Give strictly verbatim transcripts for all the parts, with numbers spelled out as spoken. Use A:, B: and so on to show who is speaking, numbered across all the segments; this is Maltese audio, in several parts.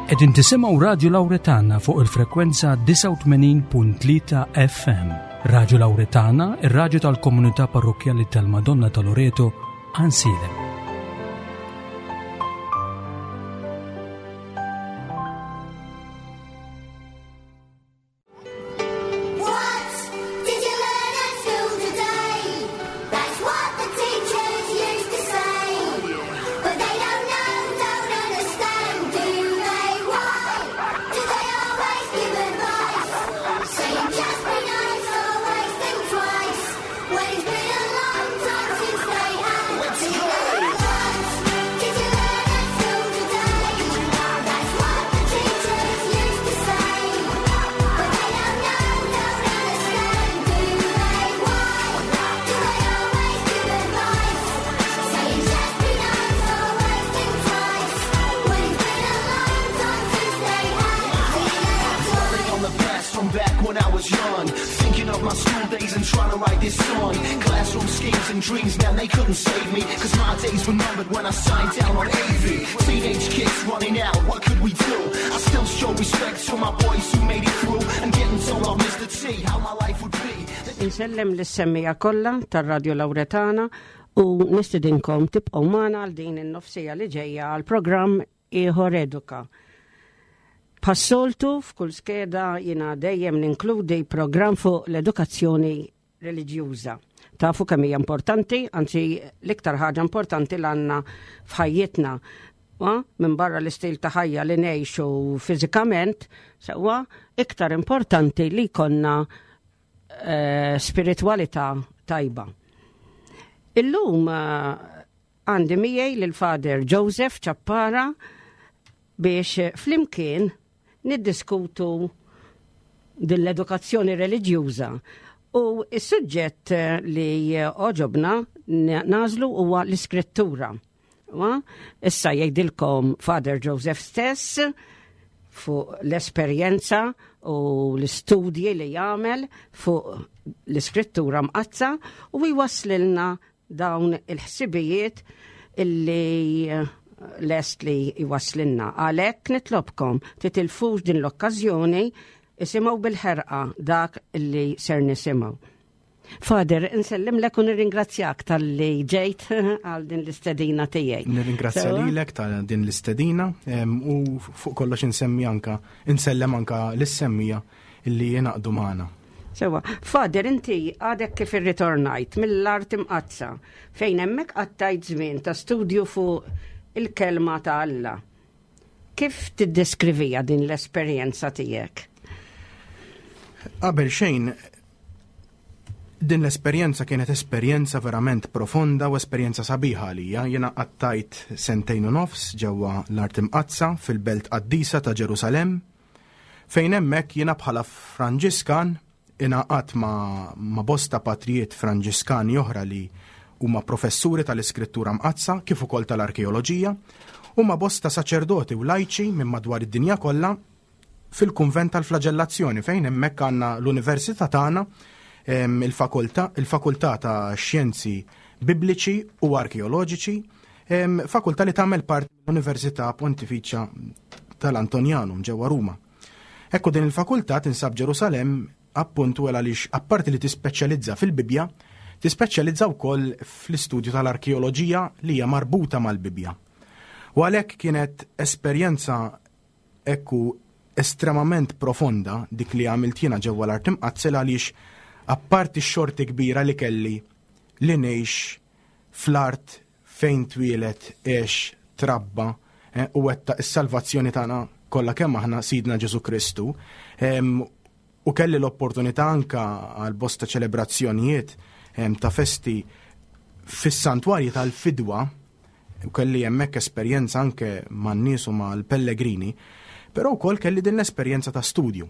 A: Qegħdin tisimgħu Radio Lauretana fuq il-frekwenza disgħa u tmenin punt tlieta F M. Radio Lauretana, ir-radju tal-Komunità Parrokkjali tal-Madonna ta' Loreto, Għajnsielem.
B: What did you learn at school today? That's what the teachers used to say. But they don't know, don't understand, do they? Why do they always give advice? Saying just be nice, always think twice. When it's been a long time since they had a What did you learn at school today? That's what the teachers used to say. But they don't know, don't understand, do they? Why do they always give advice? Saying just be nice, always think twice. When it's been a long time since they had
C: Reflecting on the past from back when I was young. Thinking of my school days and trying to write this song. Classroom schemes and dreams, man, they couldn't save me. 'Cause my days were numbered when I signed down on A V. Teenage kids running out, what could we do? I still show respect to my boys who made it through. And getting told off Mister T how my life would be.
D: Insellem lis-semmiegħa kollha tar-Radio Lauretana u nistidinkom tibqgħu magħna għal din in-nofsija li ġejja għal programm ieħor Eduka. Bħas-soltu, f'kull skeda jiena dejjem ninkludi programm fuq l-edukazzjoni reliġjuża. Tafu kemm hija importanti, anzi l-iktar ħaġa importanti l għandna f'ħajjitna. Wa, minn barra l-istil ta' ħajja li ngħixu fiżikament, sewwa iktar importanti li jkollna eh, spiritualità tajba. Illum eh, għandi miegħi lil Father Joseph Ciappara biex flimkien niddiskutu din l-edukazzjoni reliġjuża. U is-suġġett eh, li għoġobna nagħżlu huwa l-iskrittura. Wa, issa jgħidilkom Father Joseph stess fuq l-esperjenza u l-istudji li jagħmel fuq l-iskrittura mqaddsa u jwasslilna dawn il-ħsibijiet illi eh, lest li jwasslilna. Għalhekk nitlobkom titilfux din l-okkażjoni, isimgħu bil-ħerqa dak illi ser nisimgħu. Father, insellimlek u nirringrazzjak talli ġejt għal din l-istedina tiegħi.
E: Nirringrazzja
D: Sewa?
E: lilek ta' din l-istedina em, u fuq kollox insemmi anka insellem anka lis-semmiegħa illi jingħaqdu magħna.
D: Sewa, Father, inti għadek kif irritornajt mill-Art Imqaddsa fejn hemmhekk qattajt żmien ta' studju fuq il-kelma ta' Alla. Kif tiddeskrivija din l-esperjenza tiegħek?
E: Qabel xejn, din l-esperjenza kienet esperjenza verament profonda u esperjenza sabiħa għalija. Jiena qattajt sentejn u nofs ġewwa l-Art Imqaddsa fil-Belt Qaddisa ta' Ġerusalemm, fejn hemmhekk jiena bħala Franġiskan ingħaqadt ma', ma bosta patrijiet Franġiskani oħra li huma professuri tal-Iskrittura Mqaddsa kif ukoll tal-arkeoloġija u ma' bosta saċerdoti u lajċi minn madwar id-dinja kollha fil-kunvent tal-flagellazzjoni, fejn hemmhekk għandna l-università tagħna, em, il-fakultà il-fakultà ta' xjenzi bibliċi u arkeoloġiċi, em, fakultà li tagħmel parti mill-Università Pontifiċja tal-Antonianum ġewwa Ruma. Ekku, din il-fakultà tinsab Ġerusalemm appuntu għaliex apparti li tispeċjalizza fil-Bibja, tispeċjalizza wkoll fl-istudju tal-arkeoloġija li hija marbuta mal-Bibja. U għalhekk kienet esperjenza ekku estremament profonda dik li għamilt jiena ġewwa l-Art Imqaddsa, għaliex apparti x-xorti kbira li kelli li ngħix fl-art fejn twieled, għex, trabba eh, u wettaq is-salvazzjoni tagħna kollha kemm aħna Sidna Ġesu Kristu. Em, u kelli l-opportunità anka għal bosta ċelebrazzjonijiet em, ta' festi fis-santwarji tal-Fidwa u kelli hemmhekk esperjenza anke man-nies u mal-pellegrini, però wkoll kelli din l-esperjenza ta' studju.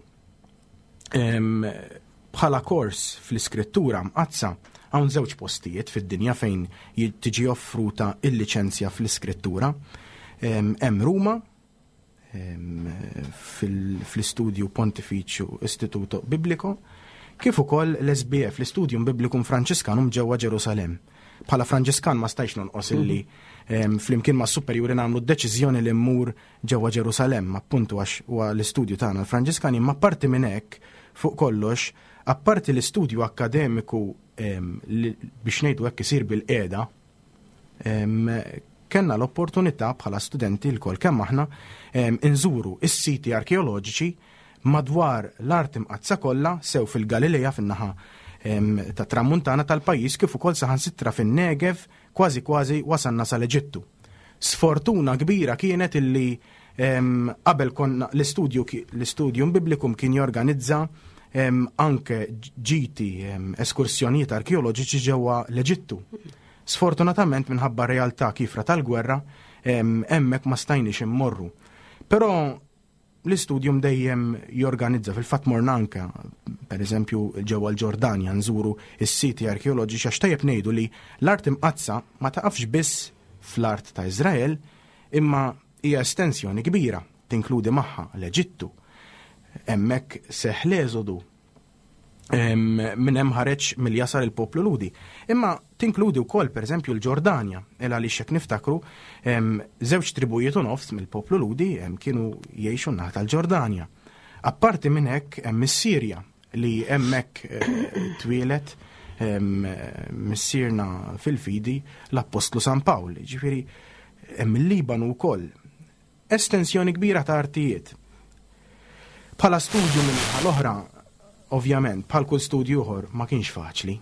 E: Em, Bħala kors fl-iskrittura mqaddsa hawn żewġ postijiet fid-dinja fejn tiġi offruta il-liċenzja fl-iskrittura. Em, Hemm Ruma, em, fil- fl-istudju Pontificio Istituto Biblico, kif ukoll l-S B F, l-Studium Biblicum Franciscanum ġewwa Ġerusalemm. Bħala Franġiskan ma stajx nonqos illi em, flimkien ma' superjuri nagħmlu d-deċiżjoni li mmur ġewwa Ġerusalemm, appuntu għax huwa l-istudju tagħna l-Franġiskani, ma apparti minn hekk, fuq kollox, apparti l-istudju akkademiku em, li biex ngħidu hekk isir bil-qiegħda, em, kellna l-opportunità bħala studenti lkoll kemm aħna em, inżuru is-siti arkeoloġiċi madwar l-Art Imqaddsa kollha, sew fil-Galilea fin-naħa em, ta' tramuntana tal-pajjiż, kif ukoll saħansitra fin-Negev, kważi kważi wasalna sal-Eġittu. Sfortuna kbira kienet illi em, qabel konna l-istudju l-Studium Biblicum kien jorganizza em, anke ġiti em, eskursjonijiet arkeoloġiċi ġewwa l-Eġittu. Sfortunatament, minħabba realtà kifra tal-gwerra, em, hemmhekk ma stajniex immorru. Però l-Studium dejjem jorganizza, fil-fatt morna anke, per eżempju, ġewwa l-Ġordanja nżuru is-siti arkeoloġiċi, għax tajjeb ngħidu li l-Art Imqaddsa ma taqafx biss fl-art ta' Izrael, imma hija estensjoni kbira, tinkludi magħha l-Eġittu. Hemmhekk seħ l-Eżodu, em, minn hemm ħareġ mill-jasar il-poplu Lhudi. Imma tinkludi wkoll, pereżempju, l-Ġordanja, il għaliex jekk niftakru em, żewġ tribujiet u nofs mill-poplu Lhudi em, kienu jgħixu naħa tal-Ġordanja. Apparti minn hekk hemm is-Sirja, li hemmhekk eh, twieled em, missierna fil-fidi l-Appostlu San Pawl. Ġifieri hemm il-Libanu wkoll. Estensjoni kbira ta' artijiet. Bħala studju minn l-oħra, ovvjament, bħal kull studju ieħor, ma kienx faċli.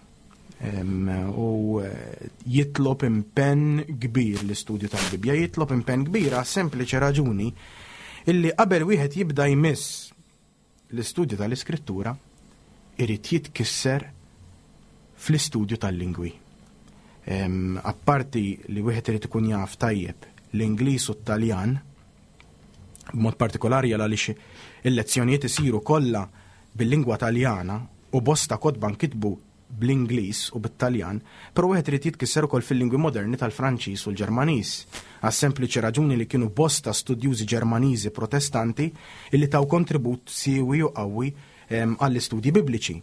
E: Em, u eh, jitlob impenn kbir l-istudju tal-Bibja, jitlob impenn kbir għas sempliċi raġuni illi qabel wieħed jibda jmiss l-istudju tal-Iskrittura irid jitkisser fl-istudju tal-lingwi. Em, apparti li wieħed irid ikun jaf tajjeb l-Ingliż u t-Taljan, b'mod partikolari għaliex il-lezzjonijiet isiru kollha bil-lingwa Taljana u bosta kotba nkitbu bl-Ingliż u bit-Taljan, però wieħed irid jitkisser ukoll fil-lingwi moderni tal-Franċiż u l-Ġermaniż. Għas sempliċi raġuni li kienu bosta studjużi Ġermaniżi Protestanti illi taw kontribut siewi u qawwi em, għall-istudji bibliċi.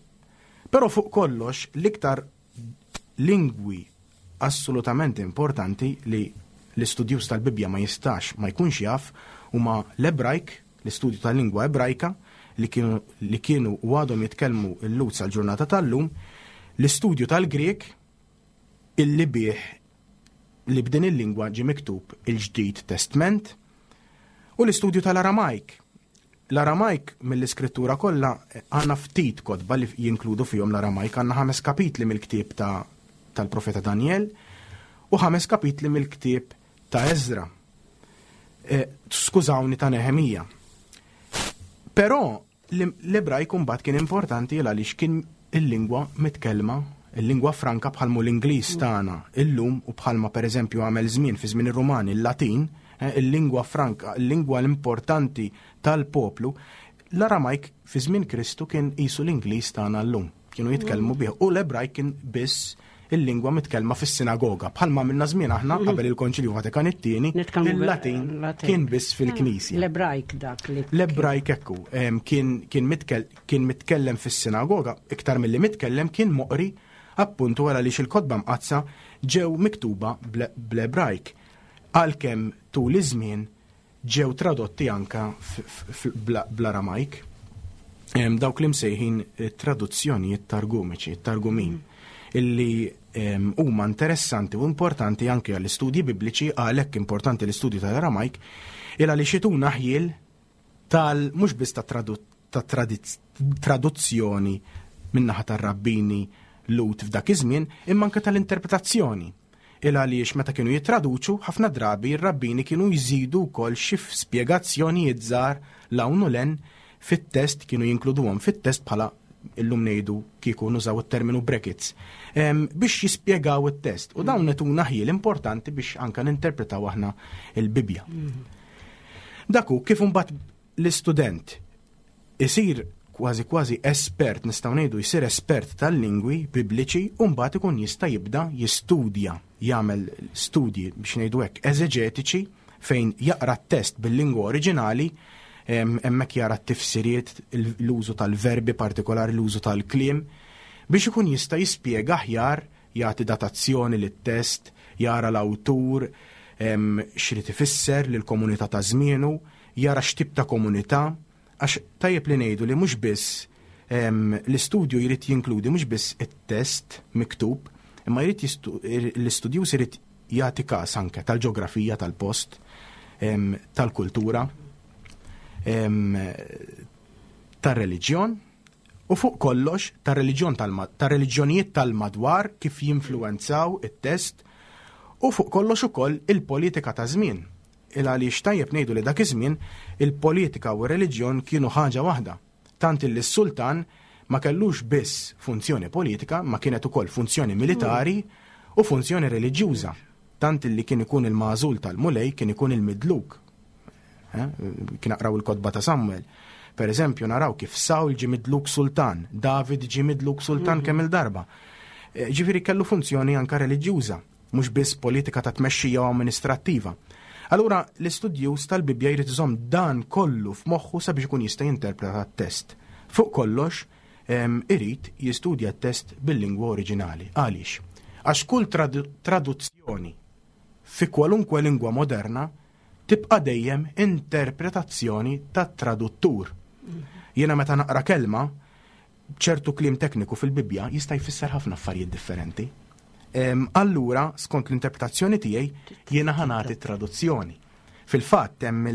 E: Però fuq kollox, l-iktar lingwi assolutament importanti li l-istudjuż tal-Bibja ma jistax ma jkunx jaf huma l-Ebrajk, l-istudju tal-lingwa Ebrajka li kienu, li kienu u għadhom jitkellmu l-Lhud sal-ġurnata tal-lum, l-istudju tal-Grek illi bih li b'din il-lingwa ġi miktub il-Ġdid Testment, u l-istudju tal-Aramajk. L-Aramajk, mill-iskrittura kollha għandna ftit kotba li jinkludu fihom l-Aramajk, għandna ħames kapitli mill-ktieb ta' tal-profeta Daniel u ħames kapitli mill-ktieb ta' Ezra. Eh, skużawni, ta' Nehemija. Però l-Ebrajk mbagħad kien importanti għaliex kien il-lingwa mitkellma, il-lingwa franka, bħalmu l-Ingliż tagħna illum u bħalma, pereżempju, għamel żmien fi żmien ir-Rumani il-Latin, eh, il-lingwa franka, il-lingwa l-importanti tal-poplu. L-Aramajk fi żmien Kristu kien qisu l-Ingliż tagħna llum. Kienu jitkellmu bih u l-Ebrajk kien biss il-lingwa mitkellma fis-sinagoga. Bħalma minna żmien aħna qabel il-Konċilju Vatikan it-tieni,
D: Nitkellmu bil-
E: il-Latin
D: Latin.
E: kien biss fil-Knisja.
D: L-Ebrajk dak li.
E: L-Ebrajk ekku, em, kien, kien, mitkel, kien mitkellem fis-sinagoga, iktar milli mitkellem kien moqri, appuntu għala li il-kotba mqaddsa ġew miktuba ble- bl-Ebrajk. Għalkemm tul iż-żmien ġew tradotti anka f- f- bla- bl-Aramajk. Em, Dawk li msejħin eh, traduzzjonijiet targumiċi, targumin, illi em, huma interessanti u importanti anke għall-istudji bibliċi, għalhekk importanti l-istudju tal-Aramajk, il għaliex jtuna ħjiel tal mhux biss ta' tradu- ta' tradiz- traduzzjoni min-naħa tar-rabbini Lhud f'dak iż-żmien, imma anke tal-interpretazzjoni. Il għaliex meta kienu jittraduċu, ħafna drabi r-rabbini kienu jżidu wkoll xi spjegazzjonijiet żgħar 'l hawn u 'l hemm fit-test, kienu jinkluduhom fit-test bħala, illum ngħidu kieku nużaw it-terminu brackets, em, biex jispjegaw it-test. U dawn jtuna ħjiel importanti biex anka ninterpretaw aħna il-Bibja. Dak hu kif imbagħad l-istudent isir kważi kważi espert, nistgħu ngħidu jsir espert tal-lingwi bibliċi, u mbagħad ikun jista' jibda jistudja, jagħmel studji, biex ngħidu hekk, eżeġetiċi, fejn jaqra t-test bil-lingwa oriġinali, em, hemmhekk jara t-tifsiriet, l-użu tal-verbi partikolari, l-użu tal-kliem, biex ikun jista' jispjega aħjar Jagħti datazzjoni lit-test, jara l-awtur, x'rid ifisser lill-komunità ta' żmienu, jara x'tip ta' komunità, għax tajjeb li ngħidu li mhux biss l-istudju jrid jinkludi mhux biss it-test miktub, imma jrid l-istudjuż irid jagħti każ anke tal-ġeografija tal-post, tal-kultura, tar-reliġjon u fuq kollox tar-reliġjon tar-reliġjonijiet tal-madwar kif jinfluwenzaw it-test u fuq kollox ukoll il-politika ta' żmien. Il għaliex tajjeb ngħidu li dak iż-żmien il-politika u r-reliġjon kienu ħaġa waħda. Tant li s-sultan ma kellux biss funzjoni politika, ma kienet ukoll funzjoni militari u funzjoni reliġjuża. Tant li kien ikun il-magħżul tal-Mulej kien ikun il-midluk. Eh? Kien naqraw il-kotba ta' Samuel. Per eżempju, naraw kif Sawl ġie midluk sultan, David ġie midluk sultan kemm il-darba. Eh, ġifieri kellu funzjoni anka reliġjuża, mhux biss politika ta' tmexxija u amministrattiva. Allura l-istudjuż tal-Bibbja jrid iżomm dan kollu f'moħħu sabiex ikun jista' jinterpreta t-test. Fuq kollox, irid jistudja t-test bil-lingwa oriġinali. Għaliex? Għax kull traduzzjoni fi kwalunkwe lingwa moderna tibqa' dejjem interpretazzjoni tat-traduttur. Jiena meta naqra kelma, ċertu kliem tekniku fil-Bibbja jista' jfisser ħafna affarijiet differenti. Allura, skont l-interpretazzjoni tiegħi, jiena ħa nagħti traduzzjoni. Fil-fatt hemm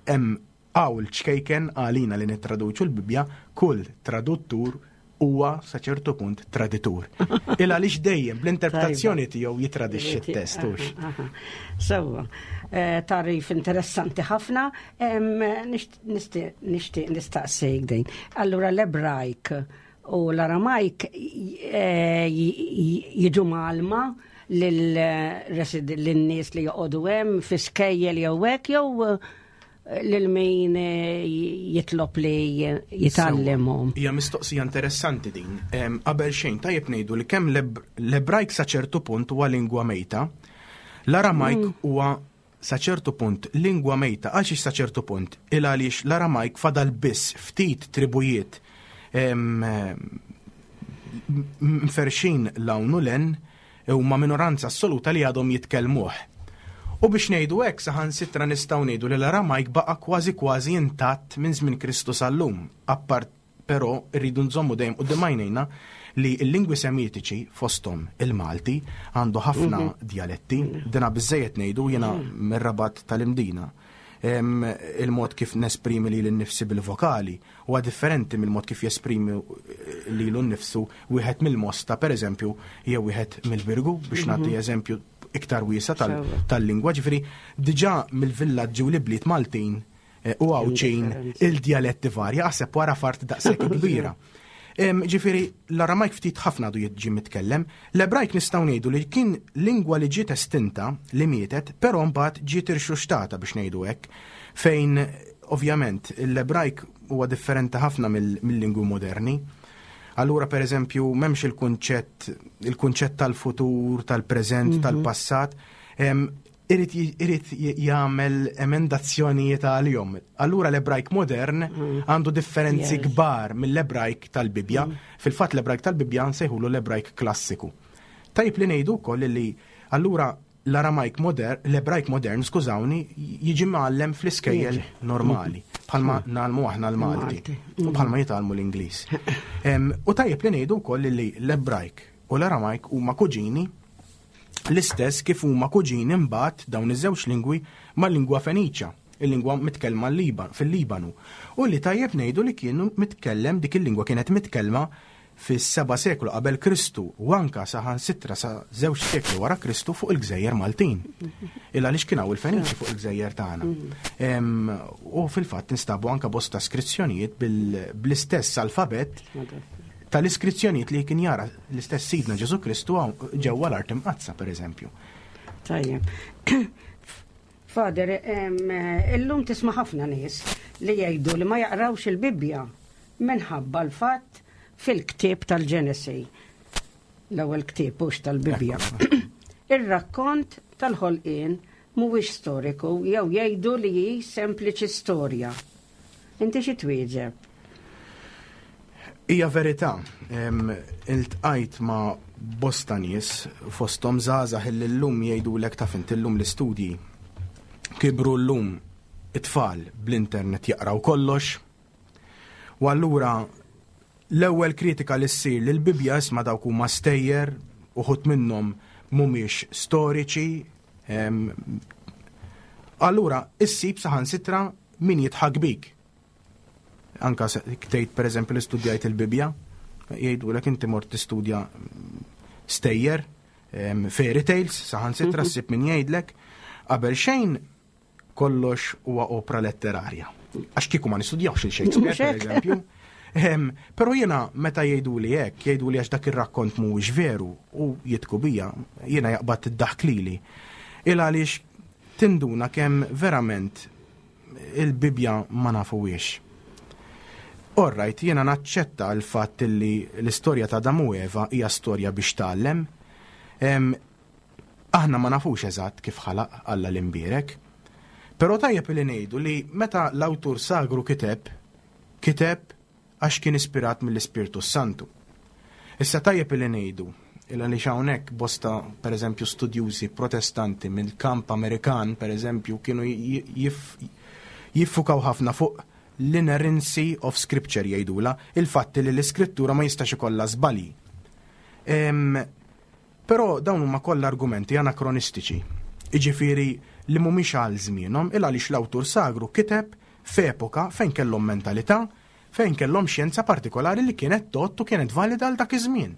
E: hemm qawl ċkejken għalina li nittraduċu l-Bibbja, kull traduttur huwa sa ċertu punt traditur. Il għaliex dejjem bl-interpretazzjoni tiegħu jitradixxi t-test hux.
D: Sewwa, eh, tarif interessanti ħafna, nixtieq nistaqsik din. Allura l-Ebrajk u l-Aramajk eh, jiġu mgħallma lin-nies li joqogħdu hemm fi skejjel jew hekk jew eh, lil min eh, jitlob li jitgħallimhom.
E: Hija mistoqsija interessanti din. Qabel xejn tajjeb ngħidu li kemm l-Ebrajk sa ċertu punt huwa lingwa mejta, l-Aramajk mm. huwa sa ċertu punt lingwa mejta. Għaliex sa ċertu punt? Il għaliex l-Aramajk fadal biss ftit tribujiet mferxin 'l hawn u 'l hemm huma minoranza assoluta li għadhom jitkellmuh. U biex ngħidu hekk, saħansitra nistgħu ngħidu li l-Aramajk baqa' kważi kważi intatt minn żmien Kristu sal-lum. Appart però rridu nżommu dejjem quddiem għajnejna li l-lingwi semitiċi, fosthom il-Malti, għandu ħafna mhm. djaletti, dina biżejjed ngħidu jiena mir-Rabat tal-Imdina. Il-mod kif nesprimi lili nnifsi bil-vokali huwa differenti mill-mod kif jesprimi lilu nnifsu wieħed mill-Mosta, per eżempju, jew wieħed mill-Birgu, biex nagħti mhm. eżempju iktar wiesa tal-lingwa. Ġifieri diġà mill-villaġġi u l-bliet Maltin eh, u Għawdxin il-djaletti varja, aħseb wara fart daqshekk kbira. Ġifieri l-Aramajk ftit ħafna għadu jiġi mitkellem, l-Ebrajk nistgħu ngħidu li kien lingwa li ġiet estinta, li mietet, però mbagħad ġiet irxuxtata biex ngħidu hekk, fejn ovvjament l-Ebrajk huwa differenti ħafna mill-lingwi moderni. Allura per eżempju m'hemmx il-kunċett il-kunċett tal-futur, tal-preżent, mhm. tal-passat, irid irid jagħmel emendazzjonijiet għalihom. Allura l-Ebrajk modern mm. għandu differenzi kbar mill-Ebrajk tal-Bibja. Mm. Fil-fatt l-Ebrajk tal-Bibja nsejħulu l-Ebrajk klassiku. Tajib li ngħidu wkoll li allura l-Aramajk modern, l-Ebrajk modern, skużawni, jiġi mgħallem fl-iskejjel normali, bħalma mm. ngħallmu aħna l-Malti u bħalma jitgħallmu l-Ingliż. U tajjeb li ngħidu wkoll li l-Ebrajk u l-Aramajk huma kuġini, l-istess kif huma kuġini mbagħad dawn iż-żewġ lingwi mal-lingwa Feniċja, il-lingwa mitkellma fil-Libanu. U li tajjeb ngħidu li kienu mitkellem dik il-lingwa kienet mitkellma fis-seba' seklu qabel Kristu u anka saħansitra sa żewġ seklu wara Kristu fuq il-Gżejjer Maltin. Il għaliex kien hawn il-Feniċi fuq il-Gżejjer tagħna. U fil-fatt instabu anka bosta skrizzjonijiet bl-istess alfabet tal-iskrizzjonijiet li kien jara l-istess Sidna Ġesu Kristu ġewwa l-Art Imqaddsa, per eżempju.
D: Tajjeb. Father, illum tisma' ħafna nies li jgħidu li ma jaqrawx il-Bibbja minħabba l-fatt fil-ktieb tal-Ġenesi. L-ewwel ktieb hux tal-Bibbja. Ir-rakkont tal-ħolqien mhuwiex storiku jew jgħidu li hi sempliċi storja. Inti xi twieġeb?
E: Hija verità, iltqajt ma' bosta nies, fosthom żgħażagħ illi llum jgħidulek, taf int, illum l-istudji kibru, llum it-tfal bl-internet jaqraw kollox. U allura l-ewwel kritika li ssir li l-Bibja, isma', dawk huma stejjer, uħud minnhom mhumiex storiċi. Allura issib saħansitra min jidħak bik. Anka tgħid, pereżempju, li studjajt il-Bibja, jgħidulek inti mort tistudja stejjer, fairy tales, saħansitra ssib min jgħidlek. Qabel xejn, kollox huwa opra letterarja. Għax kieku ma nistudjawx il-Shakespeare, per eżempju. Però jiena meta jgħidu li hekk, jgħidu li għax dak ir-rakkont mhuwiex veru u jidħku bija, jiena jaqbad id-daħk lili. Il għaliex tinduna kemm verament il-Bibja ma nafuwiex. Alright, jiena naċċetta l-fatt li l-istorja ta' Adam u Eva hija storja biex tgħallem. Aħna ma nafux eżatt kif ħalaq Alla l-imbierek. Però tajjeb li ngħidu li meta l-awtur sagru kiteb, kiteb għax kien ispirat mill-Ispirtu Santu. Issa tajjeb li ngħidu, illa li hawnhekk bosta, per eżempju, studjużi protestanti mill-kamp Amerikan, per eżempju, kienu jiffukaw ħafna fuq l-inerrancy of scripture jgħidula, il-fatti li l-iskrittura ma jistax ikollha żbalji. Però dawn huma kollha argumenti anakronistiċi. Iġifieri li mhumiex għal żmienhom, il għaliex l-awtur sagru kiteb f'epoka fejn kellhom mentalità, fejn kellhom xjenza partikolari li kienet tot u kienet valida għal dak iż-żmien.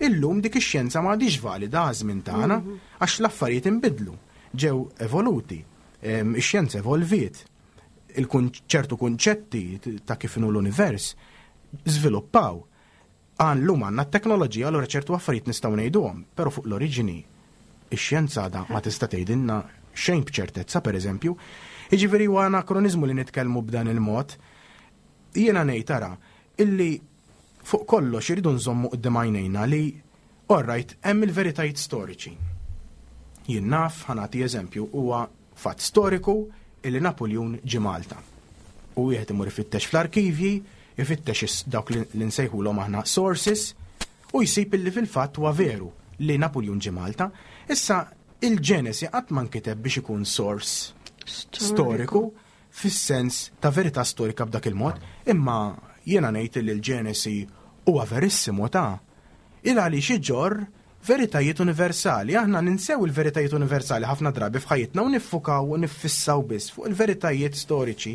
E: Illum dik ix-xjenza m'għadix valida għaż-żmien tagħna għax l-affarijiet inbidlu, ġew evoluti, ix-xjenza evolviet. Ċertu kunċetti ta' kif inhu l-univers żviluppaw. Għan llum għandna t-teknoloġija, allura ċertu affarijiet nistgħu ngħiduhom, però fuq l-oriġini ix-xjenza għadha ma tista' tgħidilna xejn b'ċertezza, pereżempju. Jiġifieri huwa anakronizmu li nitkellmu b'dan il-mod. Jiena ngħid, tara, illi fuq kollox iridu nżommu quddiem għajnejna li, alright, hemm il-veritajiet storiċi. Jien naf, ħa nagħti eżempju, huwa fatt storiku illi Napoleon ġie Malta. U wieħed imur ifittex fl-arkivji, ifittex dawk li nsejħulhom aħna sources, u jsib illi fil-fatt huwa veru li Napoleon ġie Malta. Issa il-Ġenesi qatt ma nkiteb biex ikun source storiku fis-sens ta' verità storika b'dak il-mod, imma jiena ngħid li l-Ġenesi huwa verissimu ta' il għaliex iġorr veritajiet universali. Aħna ninsew il-veritajiet universali ħafna drabi f'ħajjitna u niffukaw u niffissaw biss fuq il-veritajiet storiċi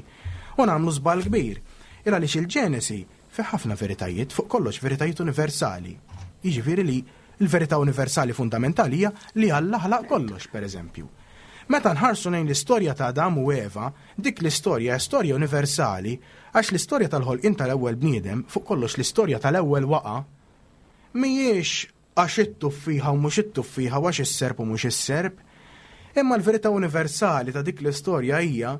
E: u nagħmlu żball kbir. Il għaliex il-Ġenesi fi ħafna veritajiet, fuq kollox veritajiet universali. Jiġifieri li l-verità universali fundamentali hija li Alla ħalaq kollox, per eżempju. Meta nħarsu lejn l-istorja ta' Adam u Eva, dik l-istorja hija storja universali għax l-istorja tal-ħolqien tal-ewwel bniedem, fuq kollox l-istorja tal-ewwel waqa, mhijiex għax it-tuffiħa u mhux it-tuffiħa u għax is-serp u mhux is-serp. Imma l-verità universali ta' dik l-istorja hija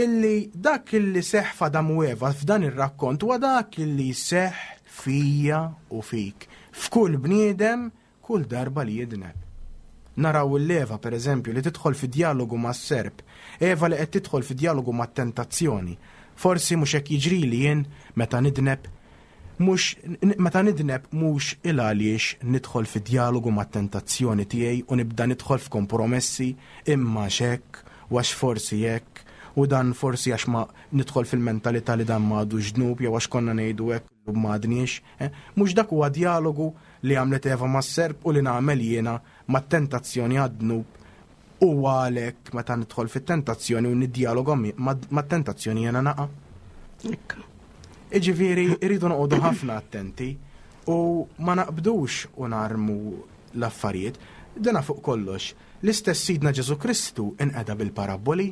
E: illi dak illi seħ f'Adam u Eva f'dan ir-rakkont huwa dak illi seħ fija u fik. F'kull bniedem, kull darba li jidneb. Naraw l-Eva, per eżempju, li tidħol fi dialogu ma' serp, Eva li qed tidħol fi dialogu ma' tentazzjoni. Forsi mhux hekk jiġrili jien meta nidneb, mhux meta nidneb, mhux il għaliex nidħol fi dialogu ma' tentazzjoni tiegħi u nibda nidħol f'kompromessi, imma xek, u għax forsi hekk, u dan forsi għax ma nidħol fil-mentalità li dan m'għadux dnub jew għax konna ngħidu hekk u m'għadniex. Eh? Mhux dak huwa dialogu li għamlet Eva mas-serp u li nagħmel jiena mat-tentazzjoni għad-dnub u għalhekk meta nidħol fit-tentazzjoni u niddialoga mat-tentazzjoni jiena naqa'?
D: Ekku.
E: Iġifieri irridu noqogħdu ħafna attenti u ma naqbdux u narmu l-affarijiet. Dena fuq kollox, l-istess Sidna Ġesu Kristu inqeda bil-parabboli.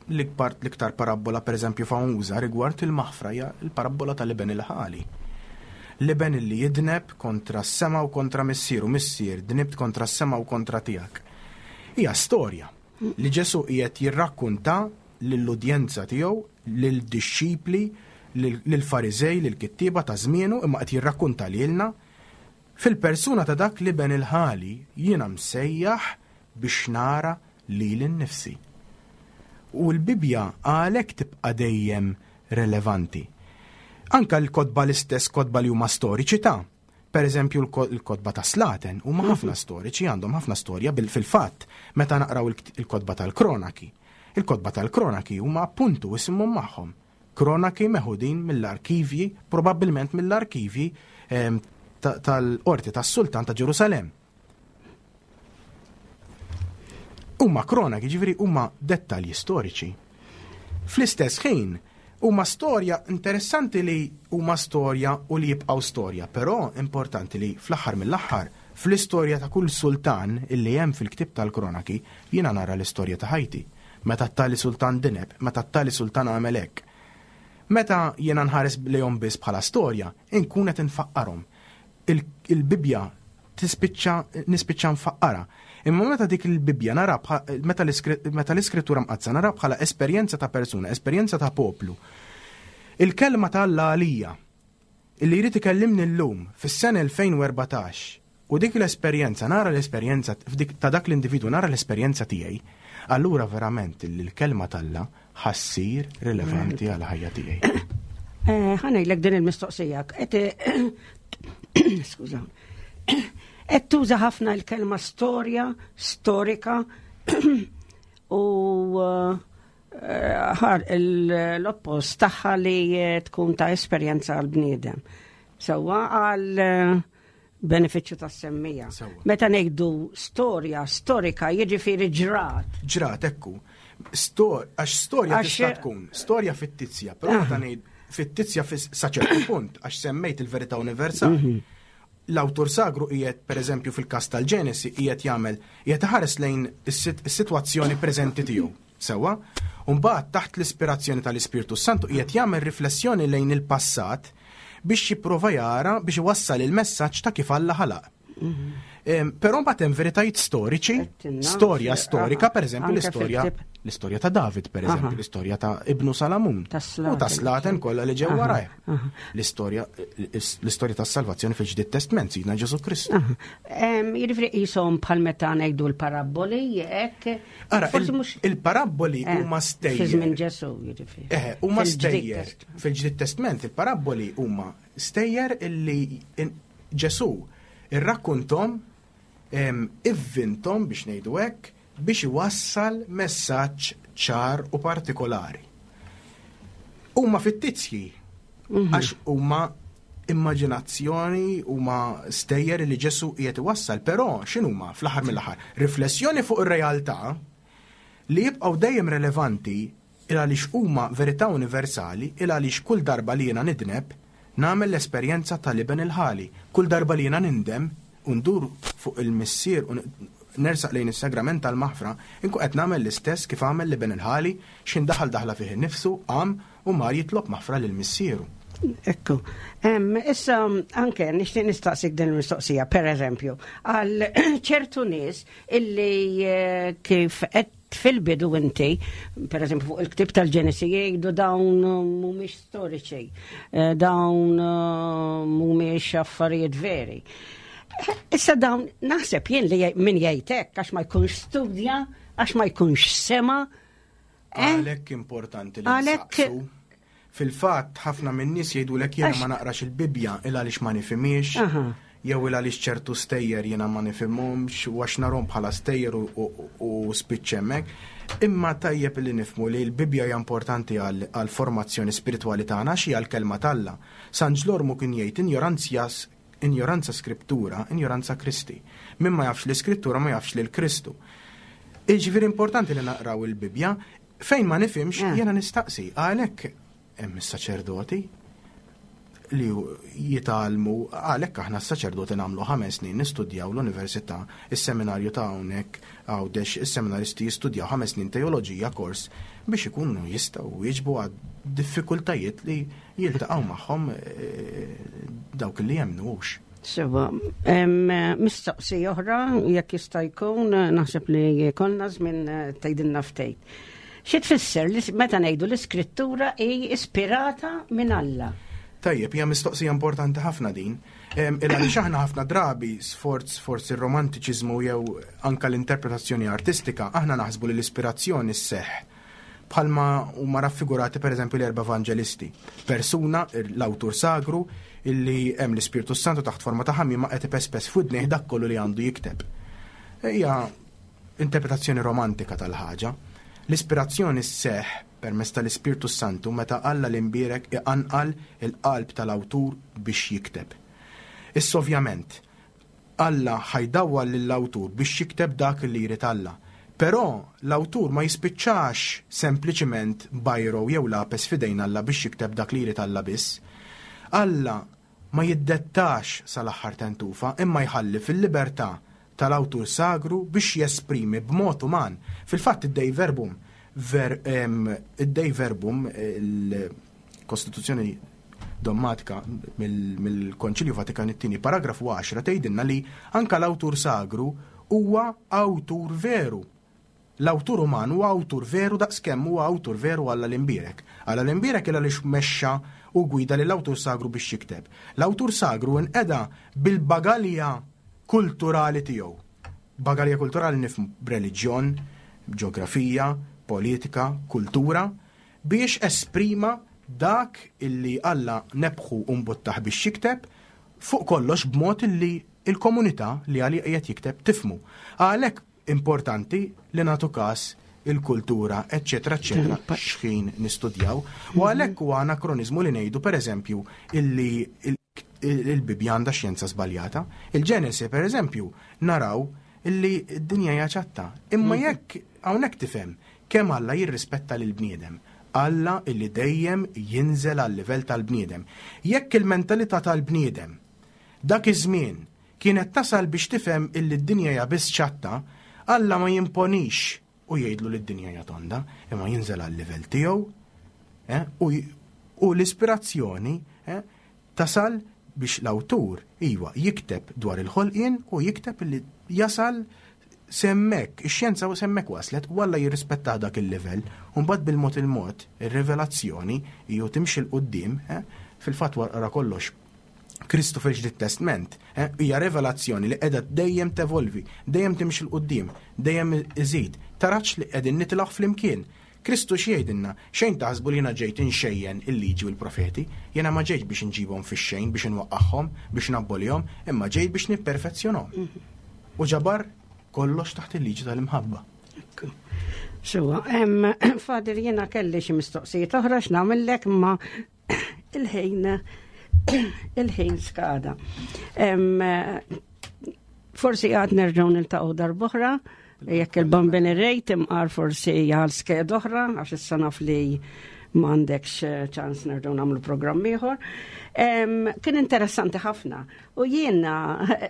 E: L-ikbar l-iktar parabbola, per eżempju, famuża rigward il-maħfra hija l-parabbola tal-iben il-ħali. L-iben li jidneb kontra s-sema u kontra missieru, "Missier, dnibt kontra s-sema u kontra tiegħek." Hija storja li Ġesu qiegħed jirrakkunta lill-udjenza tiegħu, lill-dixxipli, lill-Fariżej, lill-kittieba ta' żmienu, imma qed jirrakkunta lilna fil-persuna ta' dak l-iben il-ħali. Jiena msejjaħ biex nara lili nnifsi. U l-Bibja għalhekk tibqa' dejjem relevanti. Anka l-kotba, l-istess kotba li huma storiċi ta' per eżempju l-kotba ta' Slaten, huma ħafna storiċi, għandhom ħafna storja. Fil-fatt, meta naqraw il-kotba tal-Kronaki, il-kotba tal-Kronaki huma appuntu isimhom magħhom. Kronaki meħudin mill-arkivji, probabbilment mill-arkivji tal-qorti tas-Sultan ta' Ġerusalemm. Huma kronaki, ġifieri huma dettalji storiċi. Fl-istess ħin, huma storja interessanti li huma storja u li jibqgħu storja, però importanti li fl-aħħar mill-aħħar, fl-istorja ta' kull sultan illi hemm fil-ktib tal-Kronaki, jiena nara l-istorja ta' ħajti. Meta t-tali sultan dineb, meta t-tali sultan għamel hekk. Meta jiena nħares lejhom biss bħala storja, inkun qed infaqqarhom. Il-Bibbja tispiċċa, nispiċċa nfaqqara. Imma meta dik il-Bibbja nara, meta l-Iskrittura Mqaddsa nara bħala esperjenza ta' persuna, esperjenza ta' poplu. Il-kelma ta' Alla għalija illi jrid ikellimni llum fis-sena elfejn u erbatax u dik l-esperjenza, nara l-esperjenza ta' dak l-individwu, nara l-esperjenza tiegħi, allura verament il-kelma t'Alla ħa ssir rilevanti għal ħajja tiegħi.
D: Eh, ħa ngħidlek din il-mistoqsija. Skuża. Qed tuża ħafna l-kelma storja, storika u eh, l-oppost tagħha li tkun ta' esperjenza għal bniedem. Sewwa, għal eh, benefiċċju tas-semmiegħa. Meta ngħidu storja, storika, jiġifieri ġrat.
E: Ġrat, ekku. Għax storja tista' tkun storja fittizja, però meta ngħid fittizja sa ċertu punt, għax semmejt il-verità universali. Mhm. L-awtur sagru qiegħed, pereżempju fil-każ tal-Ġenesi, qiegħed jagħmel qiegħed iħares lejn is-sitwazzjoni preżenti tiegħu. Sewwa? Mbagħad taħt l-ispirazzjoni tal-Ispirtu Santu qiegħed jagħmel riflessjoni lejn il-passat biex jipprova jara biex iwassal il-messaġġ ta' kif Alla ħalaq. Mhm. Però mbagħad hemm veritajiet storiċi, storja storika, pereżempju l-istorja l-istorja ta' David, pereżempju, l-istorja ta' Ibnu Salamun. U ta' Slaten kollha li ġew warajh. L-istorja l-istorja tas-salvazzjoni fil-Ġdid Testment, Sidna Ġesu Kristu.
D: Jiġifieri qishom bħal meta ngħidu l-parabboli, hekk.
E: Ara, il-parabboli eh, huma stejjer.
D: Fi żmien Ġesu, jiġifieri.
E: Eh, huma stejjer. Fil-Ġdid Testament il-parabboli huma stejjer illi Ġesu irrakkuntom, ivvintom biex ngħidu hekk, biex iwassal messaġġ ċar u partikolari. Huma fittizji mhm. għax huma immaġinazzjoni, huma stejjer li Ġesu qiegħed iwassal, però x'inhuma fl-aħħar mill-aħħar? Riflessjoni fuq ir-realtà li jibqgħu dejjem relevanti il għaliex huma verità universali, il għaliex kull darba li jiena nidneb nagħmel l-esperjenza tal-iben il-ħali. Kull darba li jiena nindem u ndur fuq il-missier u nersaq lejn is-sagrament tal-maħfra, inkun qed nagħmel l-istess kif għamel l-iben il-ħali x'ħin daħal daħla fih innifsu, qam u mar jitlob maħfra lil missieru.
D: Ekku. Issa anke nixtieq nistaqsik din il-mistoqsija, per eżempju, għal ċertu nies illi eh, kif qed fil-bidu inti, per eżempju fuq il-ktib tal-Ġenesi, jgħidu dawn mhumiex storiċi, eh, dawn eh, mhumiex affarijiet veri. Issa dawn naħseb jien li min jgħid hekk għax ma jkunx studja, għax ma jkunx sema.
E: Għalhekk importanti li
D: Għalhekk
E: Fil-fatt ħafna minn nies jgħidulek jiena ma naqrax il-Bibbja il għaliex ma nifhimhiex, jew il għaliex ċertu stejjer jiena ma nifhimhomx u għax narhom bħala stejjer u spiċċa hemmhekk. Imma tajjeb li nifhmu li l-Bibbja hija importanti għal formazzjoni spiritwali tagħna xi għal-kelma t'Alla. San Ġlormu kien jgħid: "Ignorantia ignoranza scriptura, ignoranza Christi." Min ma jafx l-iskrittura ma jafx lil Kristu. Iġifieri importanti li naqraw il-Bibbja, fejn ma nifhimx
D: Eh.
E: jiena nistaqsi. Għalhekk hemm is-saċerdoti li jitgħallmu, għalhekk aħna s-saċerdoti nagħmlu ħames snin nistudjaw l-università, is-seminarju ta' hawnhekk Għawdex, is-seminaristi jistudjaw ħames snin teoloġija, kors, biex ikunu jistgħu jiġbu għad diffikultajiet li jiltaqgħu magħhom eh, dawk li jemmnux.
D: Sewwa, mistoqsija oħra, jekk jista' jkun, naħseb li konna żmien eh, tgħidilna ftit. Xi tfisser li meta ngħidu l-iskrittura hi ispirata minn Alla?
E: Tajjeb, hija mistoqsija importanti ħafna din. Il għaliex aħna ħafna drabi sforz forsi r-romantiċiżmu jew anka l-interpretazzjoni artistika, aħna naħsbu li l-ispirazzjoni sseħħ Bħalma huma raffigurati, pereżempju, l-erba' evangelisti. Persuna, l-awtur sagru, illi hemm l-Ispirtu Santu taħt forma ta' ħamima qed ipespes f'widnejh dak kollu li għandu jikteb. Hija interpretazzjoni romantika tal-ħaġa. L-ispirazzjoni sseħħ permezz tal-Ispirtu Santu meta Alla l-imbierek iqanqal il-qalb tal-awtur biex jikteb. Issa ovvjament, Alla ħa jdawwal lill-awtur biex jikteb dak li jrid Alla. Però l-awtur ma jispiċċax sempliċiment biro jew lapes f'idejn Alla biex jikteb dak li jrid Alla biss. Alla ma jiddettax sal-aħħar tentufa, imma jħalli fil-libertà tal-awtur sagru biex jesprimi b'mod uman. Fil-fatt id-Dei Verbum, ver, em, id-Dei Verbum, il-Kostituzzjoni dommatika mill-Konċilju Vatikan it-tieni, paragrafu għaxra, tgħidilna li anka l-awtur sagru huwa awtur veru. L-awtur uman huwa awtur veru daqskemm huwa awtur veru Alla l-imbierek. Alla l-imbierek illa li mexxa u gwida lill awtur sagru biex jikteb. L-awtur sagru nqeda bil-bagalja kulturali tiegħu. Bagalja kulturali nifhmu b'reliġjon, ġeografija, politika, kultura, biex esprima dak illi Alla nebħu u mbuttaħ biex jikteb, fuq kollox b'mod illi il-komunità li għalija qiegħed jikteb tifhmu. Għalhekk importanti li nagħtu każ il-kultura, eccetera, eccetera, xħin nistudjaw. U għalhekk huwa anakronizmu li ngħidu, pereżempju, illi il-Bibja għandha xjenza żbaljata. Il-Ġenesi, pereżempju, naraw illi d-dinja hija ċatta. Imma mhm. jekk hawnhekk tifhem kemm Alla jirrispetta lil bniedem. Alla illi dejjem jinżel għal livell tal-bniedem. Jekk il-mentalità tal-bniedem dak iż-żmien kienet tasal biex tifhem illi d-dinja hija biss ċatta, Alla ma jimponix u jgħidlu li d-dinja hija tonda, imma jinżel għal livell tiegħu eh, u l-ispirazzjoni eh, tasal biex l-awtur iwa jikteb dwar il-ħolqien u jikteb li jasal s'hemmhekk, ix-xjenza u s'hemmhekk waslet, u Alla jirrispetta dak il-livell, u mbagħad bil-mod il-mod, ir-rivelazzjoni ju timxi 'l quddiem, eh, fil-fatt wara kollox Kristu fil-Ġdid Testament eh, hija rivelazzjoni li qiegħda dejjem tevolvi, dejjem timxi 'l quddiem, dejjem iżid. Tarax li qegħdin nitilgħu flimkien. Kristu x'jgħidilna? "Xejn taħsbu li jiena ġejt inxejjen il-liġi u l-profeti, jiena ma ġejt biex inġibhom fix-xejn, biex inwaqqagħhom, biex nabbolihom, imma ġejt biex nipperfezzjonhom." U ġabar kollox taħt il-liġi tal-imħabba.
D: Sewwa, Father, jiena kelli xi mistoqsijiet oħra x'nagħmellek, imma il-ħin il-ħin skada. Forsi għad nerġgħu niltaqgħu darb'oħra, jekk il-Bambin irid, imqar forsi għal skeda oħra, għax issa naf li m'għandekx ċans nerġgħu nagħmlu programm ieħor. Kien interessanti ħafna. U jiena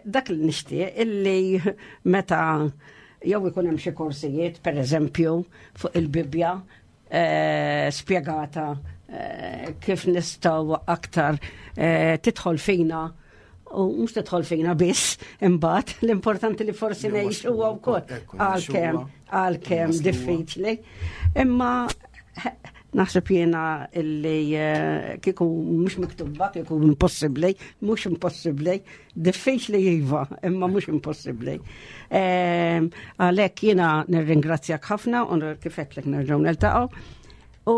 D: dak li nixtieq illi meta jew ikun hemm xi korsijiet, pereżempju, fuq il-Bibja eh, spjegata eh, kif nistgħu aktar eh, tidħol fina u mhux tidħol fina biss, imbagħad l-importanti li forsi ngħixuha wkoll, għalkemm għalkemm diffiċli. Imma naħseb jiena illi kieku mhux miktuba, kieku impossibbli, mhux impossibbli, diffiċli iva, imma mhux impossibbli. Għalhekk jiena nirringrazzjak ħafna u kif għedtlek nerġgħu niltaqgħu. U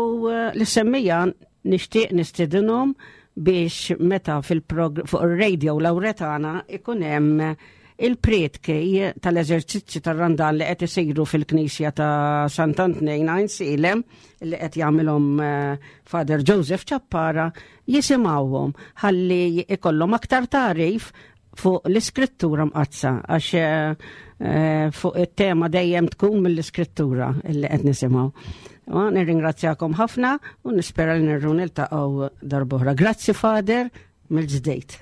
D: lis-semmiegħa nixtieq nistedinhom biex meta fil-fuq il-radio Lawretana ikun hemm il-prietki tal-eżerċizzi tar-Randan li qed isiru fil-Knisja ta' Sant'Antnin Għajnsielem, li qed jagħmilhom eh, Father Joseph Ċappara, jisimgħuhom ħalli ikollhom aktar tagħrif fuq l-iskrittura mqaddsa, għax eh, fuq it-tema dejjem tkun mill-iskrittura li qed nisimgħu. Nirringrazzjakom ħafna u nispera li nerġgħu niltaqgħu darb'oħra. Grazzi, Father, mill-ġdejt.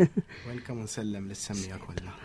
E: Welcome, nsellem lis-semmiegħa kollha.